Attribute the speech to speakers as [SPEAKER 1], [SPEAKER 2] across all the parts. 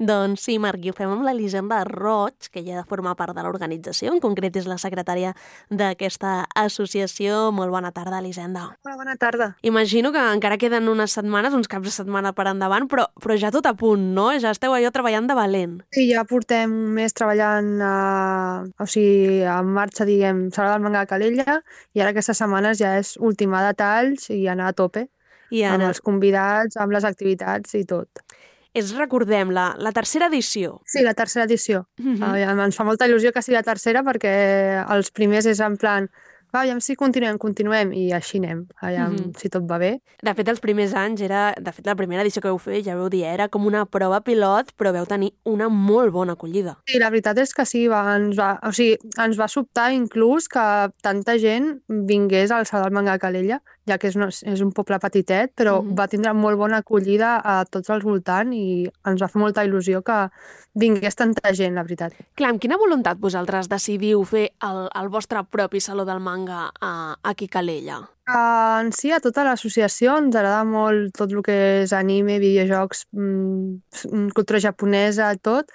[SPEAKER 1] Doncs sí, Marc, i ho fem amb l'Elisenda Roig, que ja forma part de l'organització, en concret és la secretària d'aquesta associació. Molt bona tarda, Elisenda.
[SPEAKER 2] Hola, bona tarda.
[SPEAKER 1] Imagino que encara queden unes setmanes, uns caps de setmana per endavant, però ja tot a punt, no? Ja esteu allò treballant de valent.
[SPEAKER 2] Sí, ja portem un mes treballant, en marxa, diguem, Sala del Manga de Calella, i ara aquestes setmanes ja és ultimar detalls i anar a tope amb els convidats, amb les activitats i tot.
[SPEAKER 1] Recordem, la tercera edició.
[SPEAKER 2] Sí, la tercera edició. Ens fa molta il·lusió que sigui la tercera perquè els primers és en plan, aviam si continuem, i així anem, si tot va bé.
[SPEAKER 1] De fet, els primers anys la primera edició que vau fer, ja vau dir, era com una prova pilot, però vau tenir una molt bona acollida.
[SPEAKER 2] Sí, la veritat és que sí, ens va sobtar inclús que tanta gent vingués al Sala del Manga de Calella, ja que és un poble petitet, però va tindre molt bona acollida a tots els voltants i ens va fer molta il·lusió que vingués tanta gent, la veritat.
[SPEAKER 1] Clar, amb quina voluntat vosaltres decidiu fer el vostre propi Saló del Manga aquí a Calella?
[SPEAKER 2] En si, a tota l'associació ens agrada molt tot el que és anime, videojocs, cultura japonesa, tot,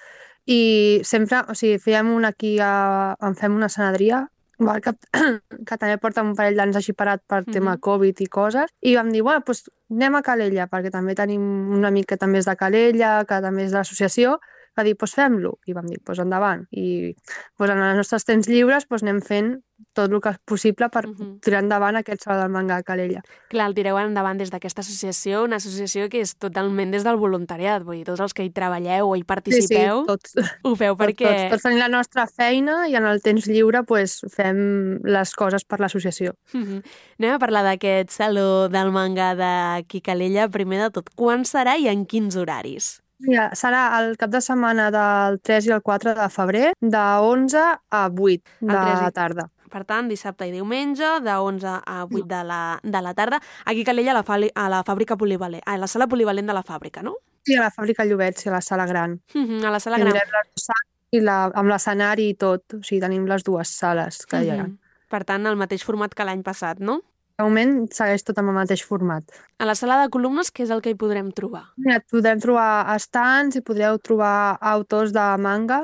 [SPEAKER 2] i sempre, fèiem en fem una escenadria, que també porta un parell d'anys així parat per tema Covid i coses, i vam dir, bueno, doncs anem a Calella, perquè també tenim un amic que també és de Calella, que també és de l'associació, va dir, doncs fem-lo, i vam dir, doncs endavant. I en els nostres temps lliures anem fent tot el que és possible per tirar endavant aquest Saló del Manga de Calella.
[SPEAKER 1] Clar, el tireu endavant des d'aquesta associació, una associació que és totalment des del voluntariat, vull dir, tots els que hi treballeu o hi participeu,
[SPEAKER 2] sí, tots.
[SPEAKER 1] Ho feu perquè...
[SPEAKER 2] Tots tenim la nostra feina i en el temps lliure fem les coses per l'associació.
[SPEAKER 1] Anem a parlar d'aquest Saló del Manga d'aquí a Calella. Primer de tot, quan serà i en quins horaris?
[SPEAKER 2] Mira, serà el cap de setmana del 3 i el 4 de febrer, de 11 a 8 de la tarda.
[SPEAKER 1] Per tant, dissabte i diumenge, de 11 a 8 de la tarda, aquí a Calella, a la fàbrica polivalent, a la sala polivalent de la fàbrica, no?
[SPEAKER 2] Sí, a la fàbrica Llobet, sí, a la sala gran.
[SPEAKER 1] A la sala gran.
[SPEAKER 2] Tindrem les dues sales amb l'escenari i tot, o sigui, tenim les dues sales que hi ha.
[SPEAKER 1] Per tant, el mateix format que l'any passat, no?
[SPEAKER 2] De moment segueix tot amb el mateix format.
[SPEAKER 1] A la sala de columnes, què és el que hi podrem trobar?
[SPEAKER 2] Mira, podrem trobar estants i podreu trobar autors de manga,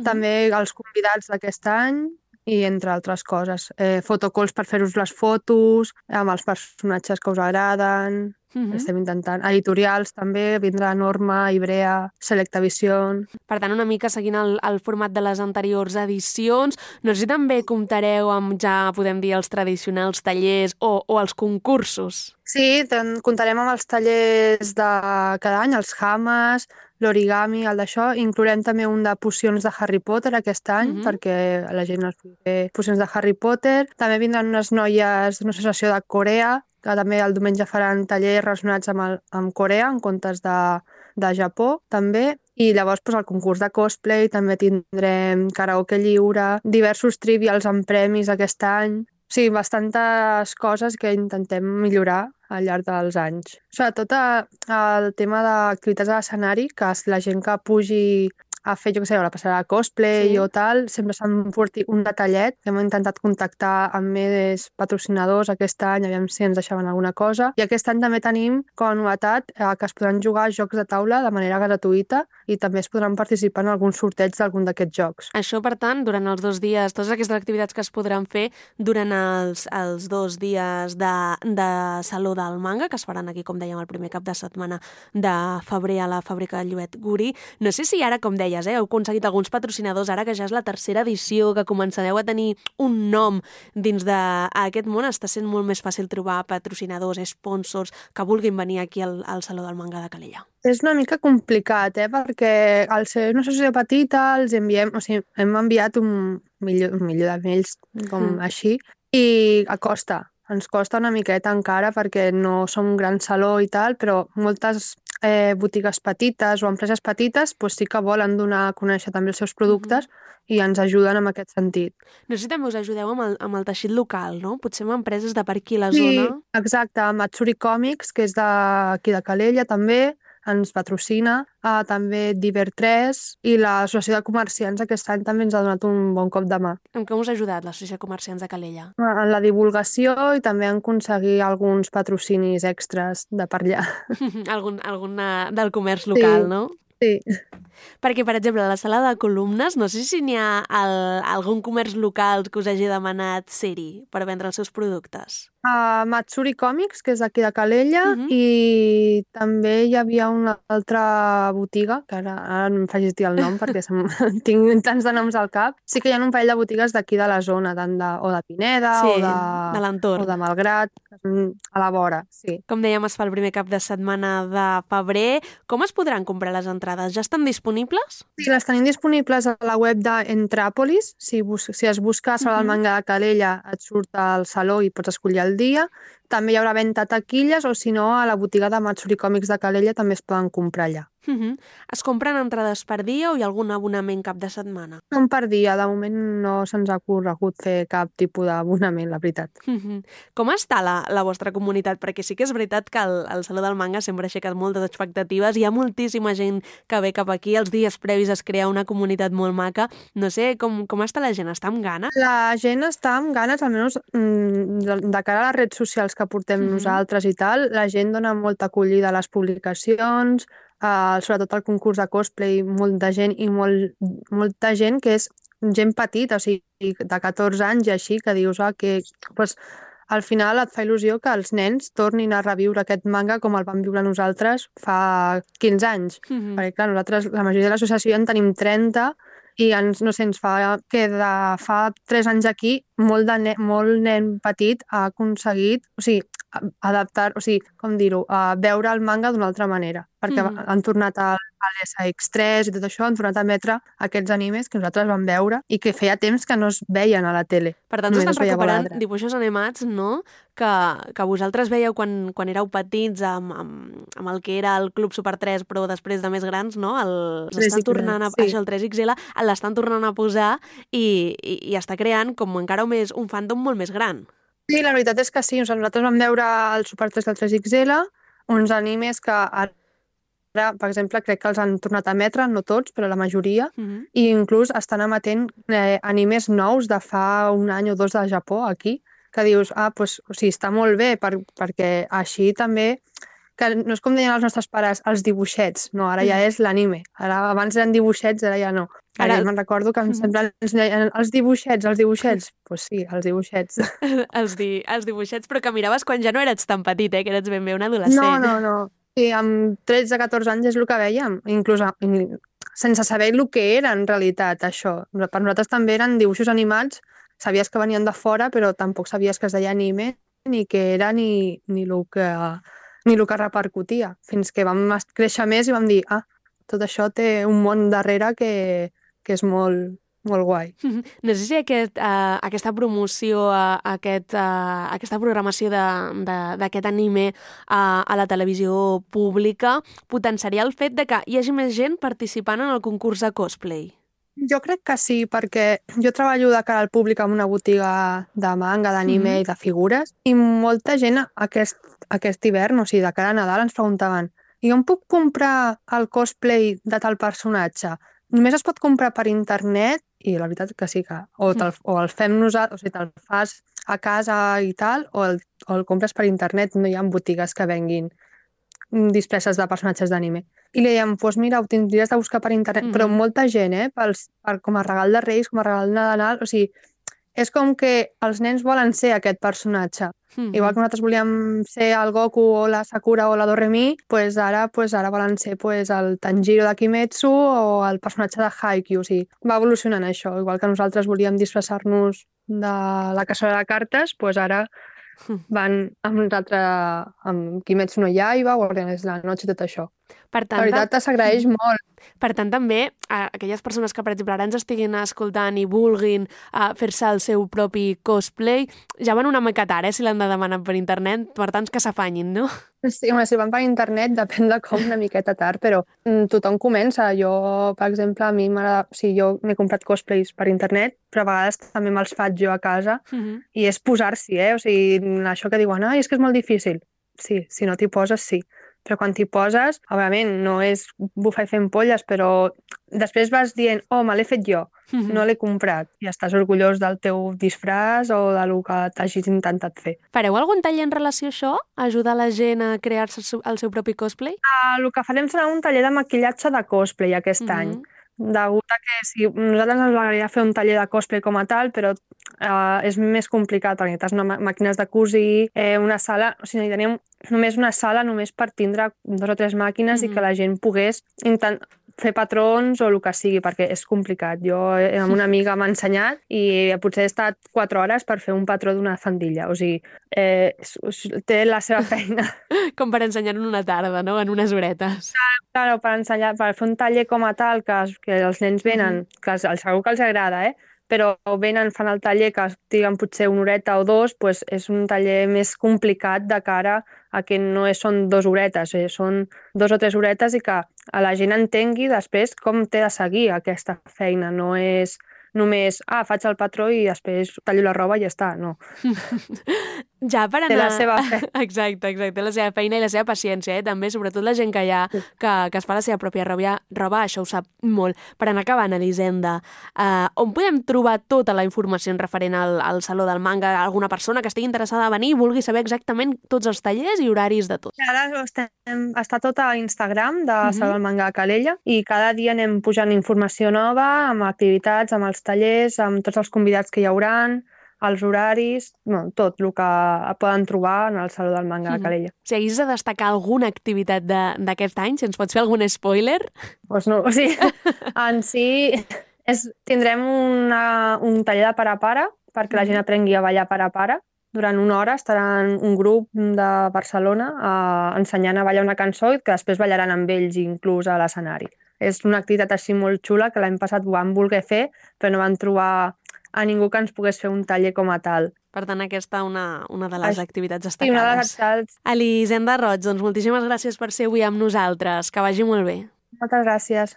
[SPEAKER 2] també els convidats d'aquest any i entre altres coses. Fotocalls per fer-vos les fotos, amb els personatges que us agraden. Estem intentant. Editorials també, vindrà Norma, Ibrea, Selecta Vision.
[SPEAKER 1] Per tant, una mica seguint el format de les anteriors edicions. No sé si també comptareu amb, ja podem dir, els tradicionals tallers o els concursos.
[SPEAKER 2] Sí, comptarem amb els tallers de cada any, els Hamas, l'origami, el d'això. Inclourem també un de pocions de Harry Potter aquest any, perquè la gent es pugui fer pocions de Harry Potter. També vindran unes noies d'una associació de Corea, que també el diumenge faran tallers relacionats amb Corea, en comptes de Japó, també. I llavors el concurs de cosplay, també tindrem karaoke lliure, diversos trivials amb premis aquest any. Sí, bastantes coses que intentem millorar al llarg dels anys. Sobretot el tema d'activitats a l'escenari, que la gent que pugi a fer, jo què sé, la passarà a cosplay o tal, sempre s'han portat un detallet. Hem intentat contactar amb més patrocinadors aquest any, aviam si ens deixaven alguna cosa. I aquest any també tenim com a novetat que es podran jugar jocs de taula de manera gratuïta i també es podran participar en algun sorteig d'algun d'aquests jocs.
[SPEAKER 1] Això, per tant, durant els 2 dies, totes aquestes activitats que es podran fer durant els 2 dies de Saló del Manga, que es faran aquí, com dèiem, el primer cap de setmana de febrer a la fàbrica Llobet Guri. No sé si ara, com deies, heu aconseguit alguns patrocinadors, ara que ja és la tercera edició, que començareu a tenir un nom dins d'aquest món, està sent molt més fàcil trobar patrocinadors, sponsors, que vulguin venir aquí al Saló del Manga de Calella.
[SPEAKER 2] És una mica complicat, perquè al ser una associació petita hem enviat un milió de mails com així i ens costa una miqueta encara perquè no som un gran saló i tal, però moltes botigues petites o empreses petites sí que volen donar a conèixer també els seus productes i ens ajuden en aquest sentit.
[SPEAKER 1] No sé si també us ajudeu amb el teixit local, no? Potser amb empreses de per aquí a la zona.
[SPEAKER 2] Sí, exacte, Matsuri Comics, que és d'aquí de Calella també, ens patrocina, també Diver3 i l'Associació de Comerciants aquest any també ens ha donat un bon cop de mà.
[SPEAKER 1] En què us ha ajudat l'Associació de Comerciants de Calella?
[SPEAKER 2] En la divulgació i també en aconseguir alguns patrocinis extras de per allà.
[SPEAKER 1] Algun del comerç local, no?
[SPEAKER 2] Sí.
[SPEAKER 1] Perquè, per exemple, a la sala de columnes, no sé si n'hi ha algun comerç local que us hagi demanat ser-hi per vendre els seus productes.
[SPEAKER 2] A Matsuri Comics, que és d'aquí de Calella, i també hi havia una altra botiga, que ara no em facis dir el nom perquè tinc tants de noms al cap. Sí que hi ha un parell de botigues d'aquí de la zona, o de Pineda,
[SPEAKER 1] Sí,
[SPEAKER 2] o
[SPEAKER 1] de l'entorn.
[SPEAKER 2] de Malgrat, a la vora, sí.
[SPEAKER 1] Com dèiem, es fa el primer cap de setmana de febrer. Com es podran comprar les entrades? Ja estan disponibles?
[SPEAKER 2] Sí, les tenim disponibles a la web d'Entràpolis. Si es busca Sala del Manga de Calella, et surt al saló i pots escollir el dia. També hi haurà venda a taquilles, o si no, a la botiga de Matsuri Còmics de Calella també es poden comprar allà.
[SPEAKER 1] Es compren entrades per dia o hi ha algun abonament cap de setmana?
[SPEAKER 2] Són per dia. De moment no se'ns ha corregut fer cap tipus d'abonament, la veritat.
[SPEAKER 1] Com està la vostra comunitat? Perquè sí que és veritat que el Saló del Manga sempre ha aixecat moltes expectatives. Hi ha moltíssima gent que ve cap aquí. Els dies previs es crea una comunitat molt maca. No sé, com està la gent? Està amb ganes?
[SPEAKER 2] La gent està amb ganes, almenys de cara a les redes socials que portem nosaltres i tal. La gent dona molta acollida a les publicacions, sobretot al concurs de cosplay, molta gent i molta gent que és gent petita, o sigui, de 14 anys i així, que dius que pues, al final et fa il·lusió que els nens tornin a reviure aquest manga com el vam viure nosaltres fa 15 anys. Perquè, clar, nosaltres, la majoria de l'associació en tenim 30 i no sé, ens fa que de fa 3 anys aquí molt nen petit ha aconseguit, o sigui, adaptar, o sigui, com dir-ho, veure el manga d'una altra manera, perquè han tornat a l'SX3 i tot això, han tornat a emetre aquests animes que nosaltres vam veure i que feia temps que no es veien a la tele.
[SPEAKER 1] Per tant, estan recuperant dibuixos animats, no?, que vosaltres veieu quan éreu petits amb el que era el Club Super 3, però després de més grans, no? Estan tornant això, el 3XL, l'estan tornant a posar i està creant com encara un fandom molt més gran.
[SPEAKER 2] Sí, la veritat és que sí. Nosaltres vam veure el Super 3 del 3XL, uns animes que ara, per exemple, crec que els han tornat a emetre, no tots, però la majoria, i inclús estan emetent animes nous de fa un any o 2 de Japó, aquí, que dius, pues, o sigui, està molt bé, perquè així també, que no és com deien els nostres pares, els dibuixets, no, ara ja és l'anime. Abans eren dibuixets, ara ja no. Ara me'n recordo que sempre ens deien els dibuixets. Doncs sí, els dibuixets.
[SPEAKER 1] Els dibuixets, però que miraves quan ja no eres tan petit, que eres ben bé un adolescent.
[SPEAKER 2] No. Sí, amb 13-14 anys és el que vèiem, inclús sense saber el que era en realitat això. Per nosaltres també eren dibuixos animats, sabies que venien de fora, però tampoc sabies que es deia anime, ni què era, ni el que repercutia, fins que vam créixer més i vam dir, tot això té un món darrere que és molt guai.
[SPEAKER 1] No sé si aquesta promoció, aquesta programació d'aquest anime a la televisió pública potenciaria el fet de que hi hagi més gent participant en el concurs de cosplay.
[SPEAKER 2] Jo crec que sí, perquè jo treballo de cara al públic en una botiga de manga, d'anime i de figures, i molta gent aquest hivern, o sigui, de cara a Nadal, ens preguntaven jo em puc comprar el cosplay de tal personatge? Només es pot comprar per internet? I la veritat que sí, o el fem nosaltres, o sigui, te'l fas a casa i tal, o el compres per internet. No hi ha botigues que venguin disfresses de personatges d'anime. I li dèiem, doncs mira, ho tindries de buscar per internet, però molta gent, com a regal de Reis, com a regal de Nadal, o sigui, és com que els nens volen ser aquest personatge. Igual que nosaltres volíem ser el Goku o la Sakura o la Doremi, ara volen ser el Tanjiro de Kimetsu o el personatge de Haikyuu. O sigui, va evolucionant això. Igual que nosaltres volíem disfressar-nos de la caçadora de cartes, ara van amb nosaltres amb Kimetsu no Yaiba, Guardianes de la Noche i tot això.
[SPEAKER 1] Per tant,
[SPEAKER 2] la veritat s'agraeix molt.
[SPEAKER 1] Per tant, també, aquelles persones que, per exemple, ara ens estiguin escoltant i vulguin fer-se el seu propi cosplay, ja van una mica tard, si l'han de demanar per internet, per tant, que s'afanyin, no?
[SPEAKER 2] Sí, si van per internet depèn de com, una miqueta tard, però tothom comença. Jo, per exemple, a mi m'agrada... O sigui, jo m'he comprat cosplays per internet, però a vegades també me'ls faig jo a casa, i és posar-s'hi, O sigui, això que diuen, és que és molt difícil. Sí, si no t'hi poses, sí. Però quan t'hi poses, òbviament, no és bufar i fer ampolles, però després vas dient, me l'he fet jo, no l'he comprat, i estàs orgullós del teu disfraç o del que t'hagis intentat fer.
[SPEAKER 1] Fareu algun taller en relació a això? Ajudar la gent a crear-se el seu propi cosplay?
[SPEAKER 2] El que farem serà un taller de maquillatge de cosplay aquest any. Degut a que sí, nosaltres ens agradaria fer un taller de cosplay com a tal, però és més complicat, perquè necessites màquines de cosir, una sala, o sigui, teníem només una sala només per tindre 2 o 3 màquines i que la gent pogués fer patrons o el que sigui, perquè és complicat. Jo amb una amiga m'ha ensenyat i potser he estat 4 hores per fer un patró d'una faldilla. O sigui, té la seva feina.
[SPEAKER 1] Com per ensenyar en una tarda, no? En unes horetes.
[SPEAKER 2] Claro, per fer un taller com a tal, que els nens venen, que segur que els agrada, però venen, fan el taller que estiguen potser una horeta o 2, doncs és un taller més complicat de cara a que no són 2 horetes, són 2 o 3 horetes i que la gent entengui després com té de seguir aquesta feina. No és només, faig el patró i després tallo la roba i ja està, no.
[SPEAKER 1] Ja per anar...
[SPEAKER 2] Té la seva feina.
[SPEAKER 1] Exacte, la seva feina i la seva paciència, també, sobretot la gent que que es fa la seva pròpia roba, això ho sap molt. Per anar acabant, Elisenda, on podem trobar tota la informació referent al Saló del Manga? Alguna persona que estigui interessada a venir i vulgui saber exactament tots els tallers i horaris de tot?
[SPEAKER 2] Ara està tot a Instagram de Saló del Manga de Calella i cada dia anem pujant informació nova amb activitats, amb els tallers, amb tots els convidats que hi hauran, els horaris, tot el que poden trobar en el Saló del Manga de Calella.
[SPEAKER 1] Si hagués de destacar alguna activitat d'aquest any, si ens pots fer algun spoiler?
[SPEAKER 2] Doncs no, o sigui, en si tindrem un taller de pare a pare perquè la gent aprengui a ballar pare a pare. Durant una hora estaran un grup de Barcelona ensenyant a ballar una cançó i que després ballaran amb ells inclús a l'escenari. És una activitat així molt xula que l'any passat ho vam voler fer, però no vam trobar a ningú que ens pogués fer un taller com a tal.
[SPEAKER 1] Per tant, aquesta una de les activitats destacades.
[SPEAKER 2] Sí, una de les activitats.
[SPEAKER 1] Elisenda Roig, doncs moltíssimes gràcies per ser avui amb nosaltres. Que vagi molt bé.
[SPEAKER 2] Moltes gràcies.